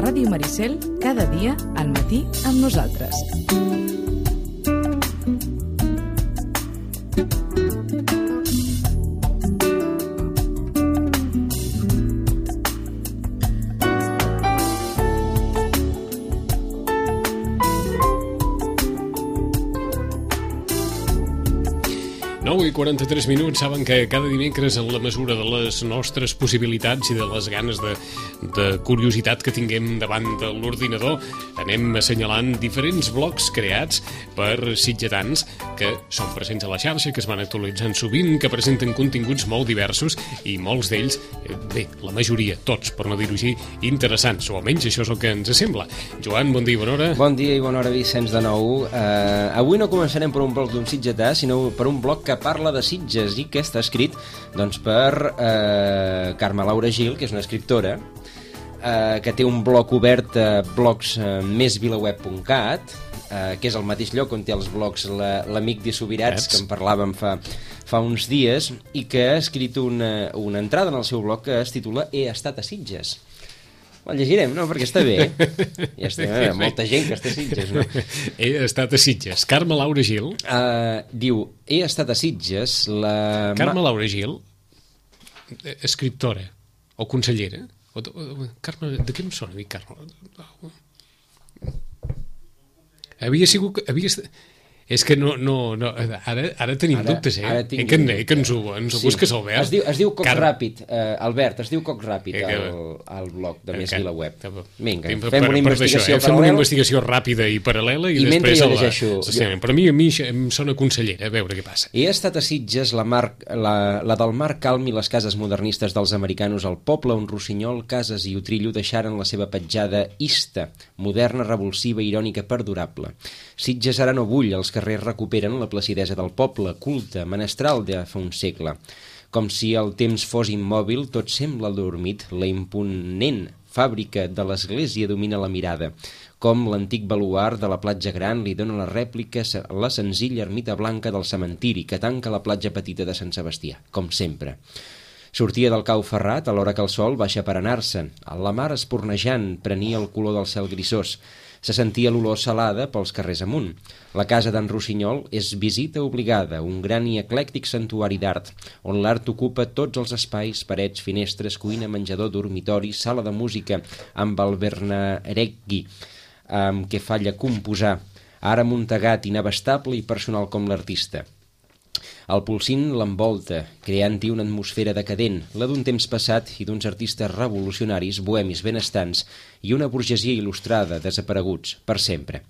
Ràdio Maricel, cada dia al matí amb nosaltres. I 43 minuts. Saben que cada dimecres, en la mesura de les nostres possibilitats i de les ganes de curiositat que tinguem davant de l'ordinador, anem assenyalant diferents blocs creats per sitgetans que són presents a la xarxa, que es van actualitzant sovint, que presenten continguts molt diversos i molts d'ells, bé, la majoria, tots, per no dir-ho així, interessants, o almenys això és el que ens sembla. Joan, bon dia i bona hora. Bon dia i bona hora, Vicenç, de nou. Avui no començarem per un bloc d'un sitgetà, sinó per un bloc que parla de Sitges i que està escrit doncs, per Carme Laura Gil, que és una escriptora que té un blog obert a blogs.mesvilaweb.cat, que és el mateix lloc on té els blogs l'amic de Subirats, que en parlàvem fa uns dies, i que ha escrit una entrada en el seu blog que es titula He estat a Sitges. El llegirem, no? Perquè està bé. Ja està, molta gent que està a Sitges, no? He estat a Sitges. Carme Laura Gil. Diu, he estat a Sitges... Carme Laura Gil, escriptora o consellera. Carme, de què em sona a mi, Carme? Havia sigut... És que no, ara tenim dubtes, que ens ho busques, Albert. Es diu Coc Ràpid, Albert, es diu Coc Ràpid al blog de Més Vilaweb. Vinga, fem una investigació paral·lela. Fem una investigació ràpida i paral·lela i després jo llegeixo. Però a mi em sona consellera, a veure què passa. He estat a Sitges, la del mar calm i les cases modernistes dels americanos al poble on Rossinyol, Cases i Utrillo deixaren la seva petjada ista, moderna, revulsiva, irònica, perdurable. Sitges ara no bull, els carrers recuperen la placidesa del poble, culte, menestral de fa un segle. Com si el temps fos immòbil, tot sembla adormit, la imponent fàbrica de l'església domina la mirada. Com l'antic baluard de la platja gran li dona la rèplica a la senzilla ermita blanca del cementiri que tanca la platja petita de Sant Sebastià, com sempre. Sortia del cau ferrat a l'hora que el sol baixa per anar-se'n. La mar espornejant prenia el color del cel grisós. Se sentia l'olor salada pels carrers amunt. La casa d'en Rossinyol és visita obligada, un gran i eclèctic santuari d'art, on l'art ocupa tots els espais, parets, finestres, cuina, menjador, dormitori, sala de música, amb el Bernaregui, amb què falla composar, ara muntegat, inabastable i personal com l'artista. El polsín l'envolta, creant-hi una atmosfera decadent, la d'un temps passat i d'uns artistes revolucionaris, bohemis benestants i una burgesia il·lustrada, desapareguts, per sempre.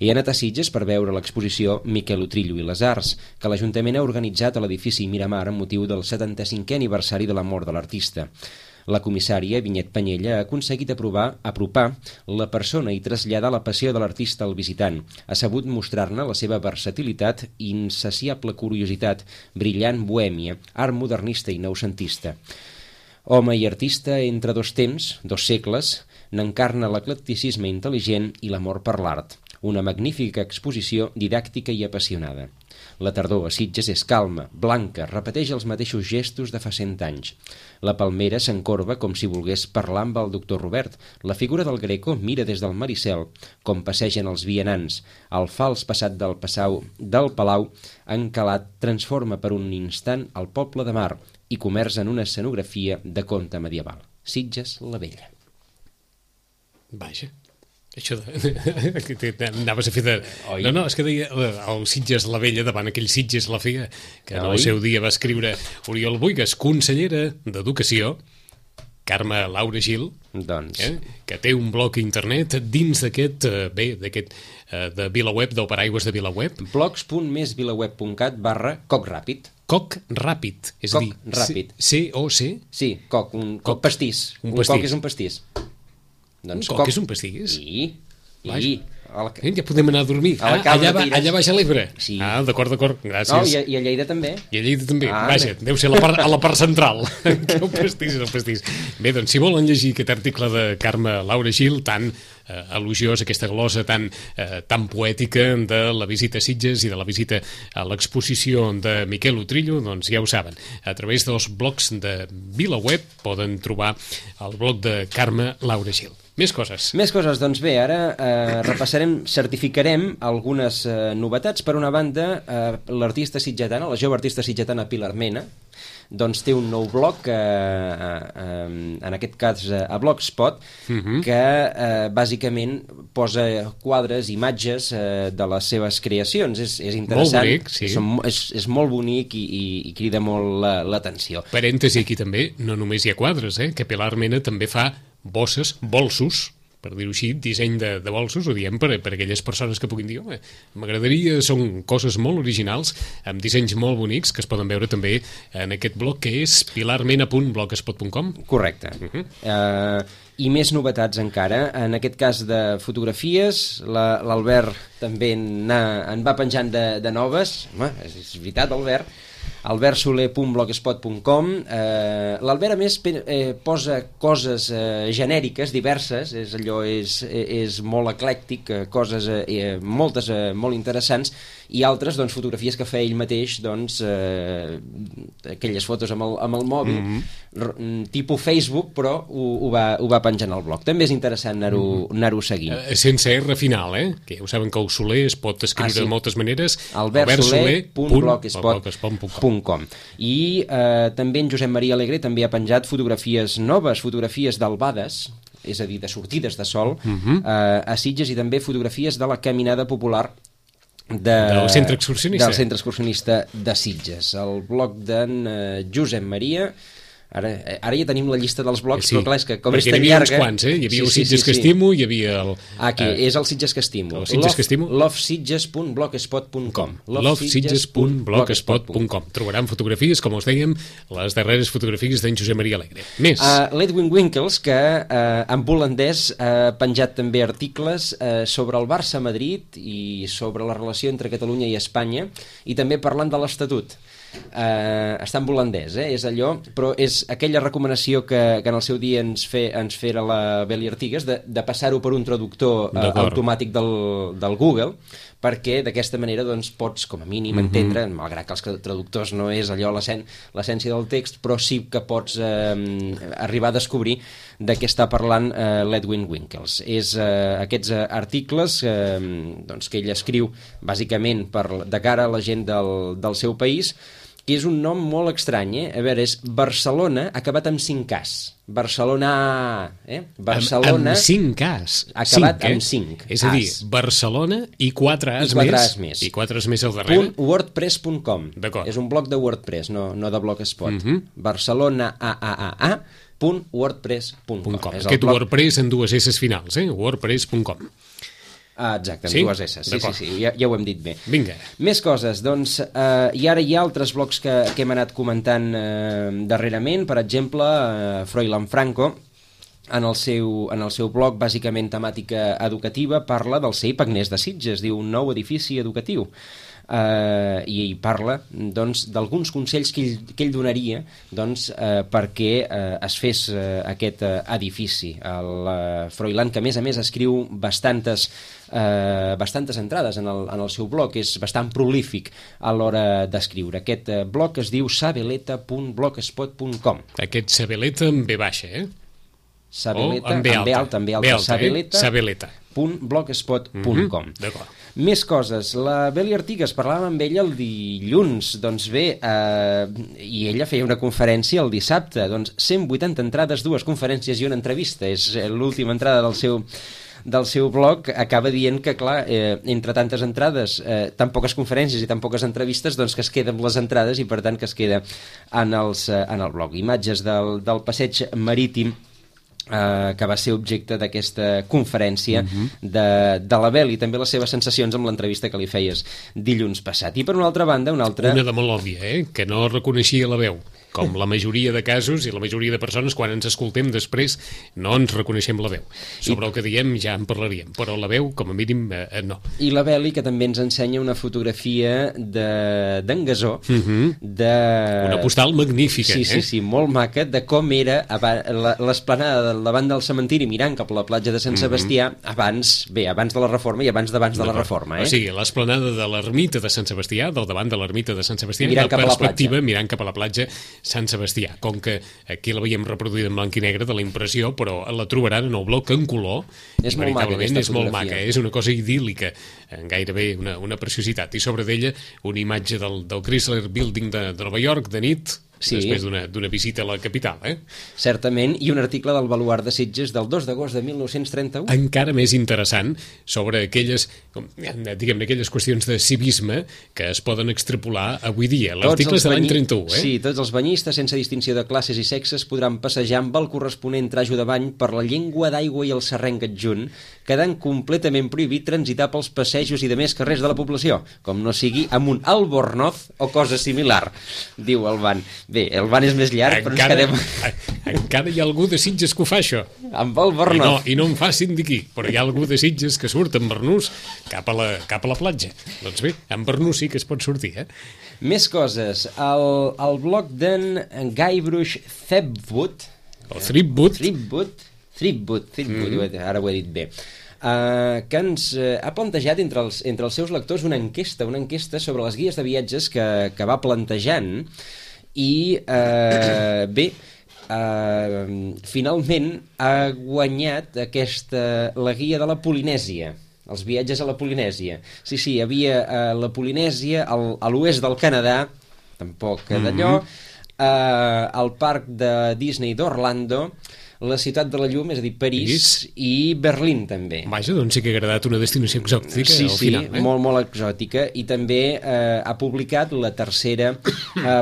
He anat a Sitges per veure l'exposició Miquel Utrillo i les Arts, que l'Ajuntament ha organitzat a l'edifici Miramar amb motiu del 75è aniversari de la mort de l'artista. La comissària, Vinyet Panyella, ha aconseguit apropar la persona i traslladar la passió de l'artista al visitant. Ha sabut mostrar-ne la seva versatilitat i insaciable curiositat, brillant bohèmia, art modernista i noucentista. Home i artista entre dos temps, dos segles, n'encarna l'eclecticisme intel·ligent i l'amor per l'art. Una magnífica exposició didàctica i apassionada. La tardor a Sitges és calma, blanca, repeteix els mateixos gestos de fa 100 anys. La palmera s'encorba com si volgués parlar amb el doctor Robert. La figura del Greco mira des del Maricel, com passegen els vianants. El fals passat del palau encalat transforma per un instant el poble de mar i comerç en una escenografia de conte medieval. Sitges la Vella. Vaja. Això anaves a fer de... No, és que deia el Sitges la Vella davant aquell Sitges la Fea, que en el seu dia va escriure Oriol Boigas, consellera d'Educació, Carme Laura Gil, que té un blog internet dins d'aquest, de VilaWeb, del paraigües de VilaWeb. blogs.mesvilaweb.cat/cocràpid. Coc ràpid, és a dir... Ràpid. C-O-C? Sí, coc, un pastís. Un coc és un pastís. Doncs un coc és un pastís? I Ja podem anar a dormir. Allà baix a l'Ebre. Sí. D'acord, gràcies. No, i a Lleida també. I a Lleida també. Vaja, deu ser a la part central. El pastís. Bé, doncs, si volen llegir aquest article de Carme Laura Gil, tan elogiós, aquesta glosa tan poètica de la visita a Sitges i de la visita a l'exposició de Miquel Utrillo, doncs ja ho saben. A través dels blogs de VilaWeb poden trobar el blog de Carme Laura Gil. Més coses, doncs bé, ara certificarem algunes novetats. Per una banda, l'artista sitgetana, la jove artista sitgetana Pilar Mena, doncs té un nou blog, en aquest cas a Blogspot, que bàsicament posa quadres, imatges de les seves creacions. És interessant, molt bonic, sí. És molt bonic i crida molt l'atenció. Parèntesi aquí també, no només hi ha quadres, que Pilar Mena també fa bolsos, per dir-ho així, disseny de bolsos, ho diem per aquelles persones que puguin dir, m'agradaria, són coses molt originals, amb dissenys molt bonics, que es poden veure també en aquest blog, que és pilarmena.blogspot.com. Correcte. I més novetats encara, en aquest cas de fotografies, l'Albert també en va penjant de noves. És veritat, Albert. albertsoler.blogspot.com. L'Albert, a més, posa coses genèriques, diverses, és molt eclèctic, coses moltes molt interessants, i altres, doncs, fotografies que fa ell mateix, doncs, aquelles fotos amb el mòbil, tipus Facebook, però ho va penjant al blog. També és interessant anar-ho seguint. Sense R final, que ja ho saben que el Soler es pot escriure de moltes maneres. albertsoler.blogspot.com. I també en Josep Maria Alegre també ha penjat fotografies noves, fotografies d'albades, és a dir, de sortides de sol, a Sitges, i també fotografies de la caminada popular del centre excursionista de Sitges. El blog d'en Josep Maria. Ara ja tenim la llista dels blogs, però clar, és que com és tan llarga... Hi havia uns quants, hi havia el Sitges que estimo, hi havia el... Aquí, és el Sitges que estimo. lovesitges.blogspot.com. lovesitges.blogspot.com. Trobaran fotografies, com us dèiem, les darreres fotografies d'en Josep Maria Alegre. Més. L'Edwin Winkels, que en holandès ha penjat també articles sobre el Barça-Madrid i sobre la relació entre Catalunya i Espanya, i també parlant de l'Estatut. Està en holandès, és allò, però és aquella recomanació que en el seu dia ens fera la Beli Artigas de passar-ho per un traductor automàtic del Google, perquè d'aquesta manera doncs, pots com a mínim entendre, malgrat que els traductors no és allò l'essència del text, però sí que pots arribar a descobrir de què està parlant l'Edwin Winkels. És aquests articles que ell escriu bàsicament de cara a la gent del seu país, que és un nom molt estrany, A veure, és Barcelona acabat amb 5As. Barcelona, Barcelona... Amb 5As. Acabat amb 5. És a dir, Barcelona i 4 As més. I 4 As més al darrere. .wordpress.com. És un blog de WordPress, no de Blogspot. Barcelona .wordpress.com. Aquest WordPress en dues S finals, wordpress.com. Exacte, amb dues S, sí, ja ho hem dit bé. Vinga. Més coses, doncs, i ara hi ha altres blogs que hem anat comentant darrerament, per exemple, Froilán Franco, en el seu blog, bàsicament temàtica educativa, parla del CEIP Agnès de Sitges, diu un nou edifici educatiu. I ell parla d'alguns consells que ell donaria perquè es fes aquest edifici. El Froilán, que a més escriu bastantes entrades en el seu blog, és bastant prolífic a l'hora d'escriure. Aquest blog es diu sabeleta.blogspot.com. Aquest Sabeleta amb B baixa, Sabeleta, amb B alta, sabeleta.blogspot.com. D'acord. Més coses. La Beli Artigas, parlàvem amb ella el dilluns, doncs bé, i ella feia una conferència el dissabte, 180 entrades, 2 conferències i una entrevista. És l'última entrada del seu blog, acaba dient que, clar, entre tantes entrades, tan poques conferències i tan poques entrevistes, doncs que es queda amb les entrades i, per tant, que es queda en el blog. Imatges del passeig marítim que va ser objecte d'aquesta conferència de la Bel, i també les seves sensacions amb l'entrevista que li feies dilluns passat. I per una altra banda, una de molt òbvia, que no reconeixia la veu. com la majoria de casos i la majoria de persones, quan ens escoltem després no ens reconeixem la veu. Sobre el que diem ja en parlaríem, però la veu, com a mínim, no. I la Beli, que també ens ensenya una fotografia d'en Gasó, una postal magnífica. Sí, molt maca, de com era l'esplanada davant del cementiri mirant cap a la platja de Sant Sebastià abans de la Reforma i abans de la Reforma. O sigui, l'esplanada de l'ermita de Sant Sebastià, del davant de l'ermita de Sant Sebastià, mirant cap a la perspectiva mirant cap a la platja Sant Sebastià. Com que aquí la veiem reproduïda en blanc i negre de la impressió, però la trobaran en el bloc en color. És molt maca aquesta fotografia. Molt maca, és una cosa idíl·lica, gairebé una preciositat. I sobre d'ella una imatge del Chrysler Building de Nova York de nit, després d'una visita a la capital. Certament, i un article del Baluard de Sitges del 2 d'agost de 1931. Encara més interessant sobre aquelles qüestions de civisme que es poden extrapolar avui dia. L'article és de l'any 31. Sí, tots els banyistes, sense distinció de classes i sexes, podran passejar amb el corresponent trajo de bany per la llengua d'aigua i el serrenc adjunt, quedant completament prohibit transitar pels passejos i de més carrers de la població, com no sigui amb un albornoz o cosa similar, diu el ban. Bé, el ban és més llarg, però ens quedem... Encara hi ha algú de Sitges que ho fa, això. Amb el Bernós. I no em facin d'aquí, però hi ha algú de Sitges que surt amb Bernús cap a la platja. Doncs bé, amb Bernús sí que es pot sortir, Més coses. El blog d'en Guybrush Threepwood... O Threepwood, ara ho he dit bé. Que ens ha plantejat entre els seus lectors una enquesta sobre les guies de viatges que va plantejant i finalment ha guanyat la guia de la Polinèsia, els viatges a la Polinèsia. Sí, hi havia la Polinèsia, a l'oest del Canadà, tampoc d'allò, al parc de Disney d'Orlando, la ciutat de la llum, és a dir, París i Berlín també. Vaja, doncs sí que ha agradat una destinació exòtica al final. Sí, molt exòtica, i també ha publicat la tercera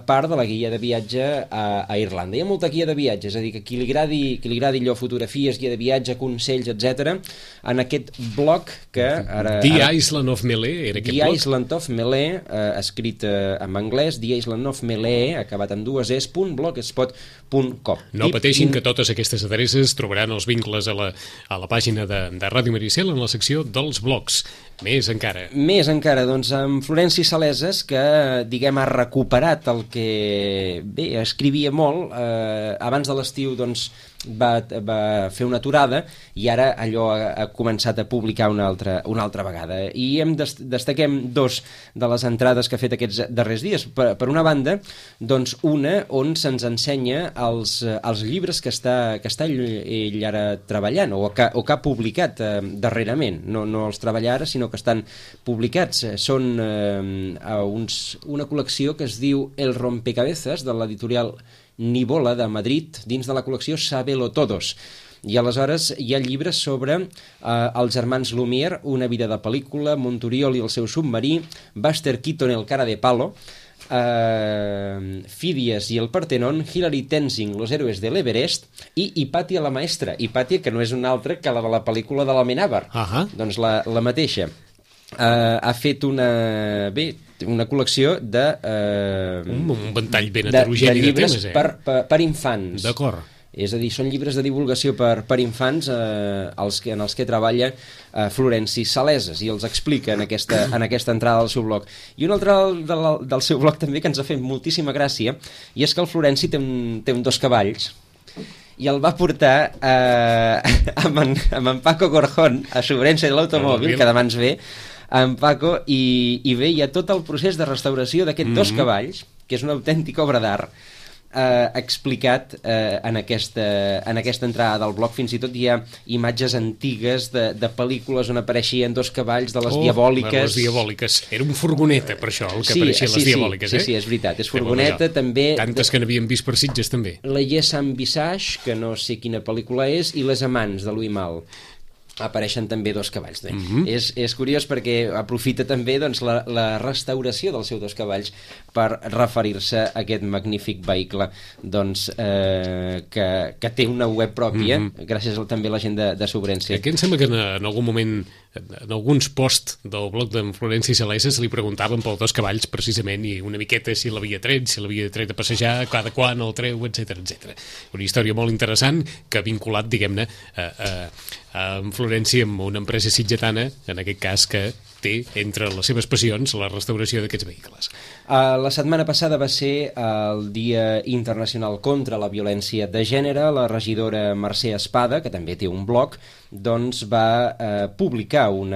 part de la guia de viatge a Irlanda. Hi ha molta guia de viatge, és a dir, que qui li agradi allò, fotografies, guia de viatge, consells, etc. en aquest blog que ara... The Island of Melee era aquest blog? The Island of Melee, escrit en anglès, The Island of Melee, acabat amb dues .blogspot.com. No pateixin, que totes aquestes adreces trobaran els vincles a la pàgina de Ràdio Maricel en la secció dels blogs. Més encara, doncs, amb Florenci Saleses, que, diguem, ha recuperat el que, escrivia molt. Abans de l'estiu, doncs, va fer una aturada i ara allò ha començat a publicar una altra vegada. I destaquem dos de les entrades que ha fet aquests darrers dies. Per una banda, doncs, una on se'ns ensenya els llibres que està ell ara treballant o que ha publicat darrerament. No els treballa ara, sinó que estan publicats. Són una col·lecció que es diu El Rompecabezas, de l'editorial Nivola de Madrid, dins de la col·lecció Sábelo Todos. I aleshores hi ha llibres sobre els germans Lumière, Una vida de pel·lícula, Monturiol i el seu submarí, Buster Keaton, El cara de palo, Fídies i el Partenón, Hilary Tenzing, Los héroes de l'Everest, i Hipàtia la maestra. Hipàtia, que no és una altra que la de la pel·lícula de l'Amenábar. Doncs la mateixa. Ha fet una col·lecció de... un ventall ben heterogeni de llibres temes, per infants. D'acord. És a dir, són llibres de divulgació per infants en els que treballa Florenci Saleses, i els explica en aquesta entrada del seu blog. I un altre del seu blog també que ens ha fet moltíssima gràcia, i és que el Florenci té un dos cavalls, i el va portar amb en Paco Gorjón a Sobrense de l'automòbil, que demà ens ve, en Paco, i bé, hi ha tot el procés de restauració d'aquests dos cavalls, que és una autèntica obra d'art, explicat en aquesta entrada del blog. Fins i tot hi ha imatges antigues de pel·lícules on apareixien dos cavalls de les Diabòliques. Les Diabòliques. Era un furgoneta, per això, el que apareixien les Diabòliques. Sí, és veritat, és furgoneta. També tantes que n'havíem vist per Sitges, també. La Yes and Visage, que no sé quina pel·lícula és, i Les amants, de Louis Malle. Apareixen també dos cavalls. És curiós perquè aprofita també, doncs, la restauració dels seus dos cavalls per referir-se a aquest magnífic vehicle, doncs, que té una web pròpia, gràcies també a la gent de Sobrense. Aquí em sembla que en algun moment en alguns posts del blog d'en Florenci Salesa se li preguntaven pel Dos Cavalls precisament i una miqueta si l'havia tret a passejar, cada quan el treu, etc etc. Una història molt interessant que ha vinculat, diguem-ne, en Florenci amb una empresa sitgetana, en aquest cas, que té entre les seves passions la restauració d'aquests vehicles. La setmana passada va ser el Dia Internacional contra la Violència de Gènere. La regidora Mercè Espada, que també té un blog, doncs va publicar un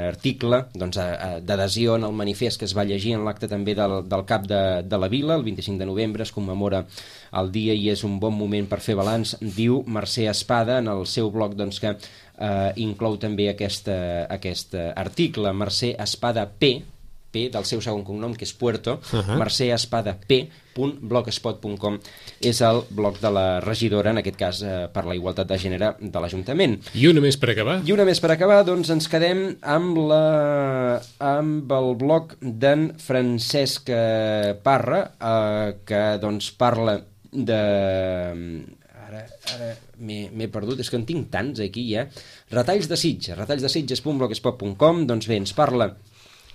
article d'adhesió en el manifest que es va llegir en l'acte també del cap de la vila. El 25 de novembre es commemora el dia i és un bon moment per fer balanç, diu Mercè Espada en el seu blog, doncs, que inclou també aquest article. Mercè Espada P del seu segon cognom, que és Puerto, merceespadap.blogspot.com és el blog de la regidora, en aquest cas per la igualtat de gènere de l'Ajuntament. I una més per acabar? Doncs ens quedem amb el blog d'en Francesc Parra, que doncs parla de... Ara m'he perdut, és que en tinc tants aquí ja. Retalls de Sitges.blogspot.com. Doncs bé, ens parla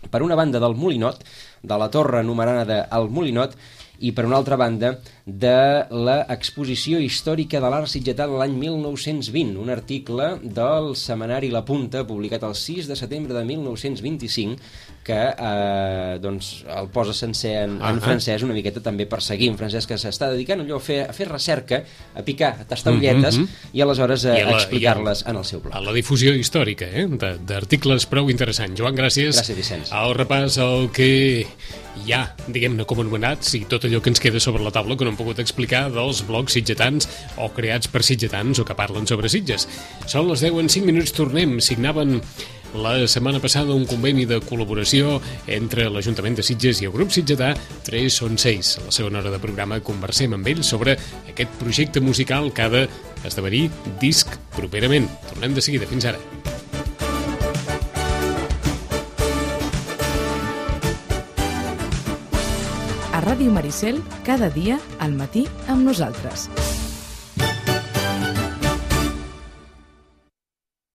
per una banda del Molinot, de la torre anomenada El Molinot, i per una altra banda de l'exposició històrica de l'art sitgetà de l'any 1920, un article del setmanari La Punta, publicat el 6 de setembre de 1925, que doncs el posa sencer en francès, una miqueta també per seguir en francès, que s'està dedicant allò a fer recerca, a picar, a tastar ulletes i aleshores a explicar-les en el seu blog. A la difusió històrica d'articles prou interessants. Joan, gràcies. Gràcies, Vicenç. Al repàs al que hi ha, diguem-ne, com anomenats, i tot allò que ens queda sobre la taula que no hem pogut explicar dels blogs sitgetans o creats per sitgetans o que parlen sobre Sitges. Són les 10 en 5 minuts, tornem. Signaven la setmana passada un conveni de col·laboració entre l'Ajuntament de Sitges i el grup sitgetà 3 són 6. A la segona hora de programa conversem amb ells sobre aquest projecte musical que ha d'esdevenir disc properament. Tornem de seguida. Fins ara. A Ràdio Maricel, cada dia al matí amb nosaltres.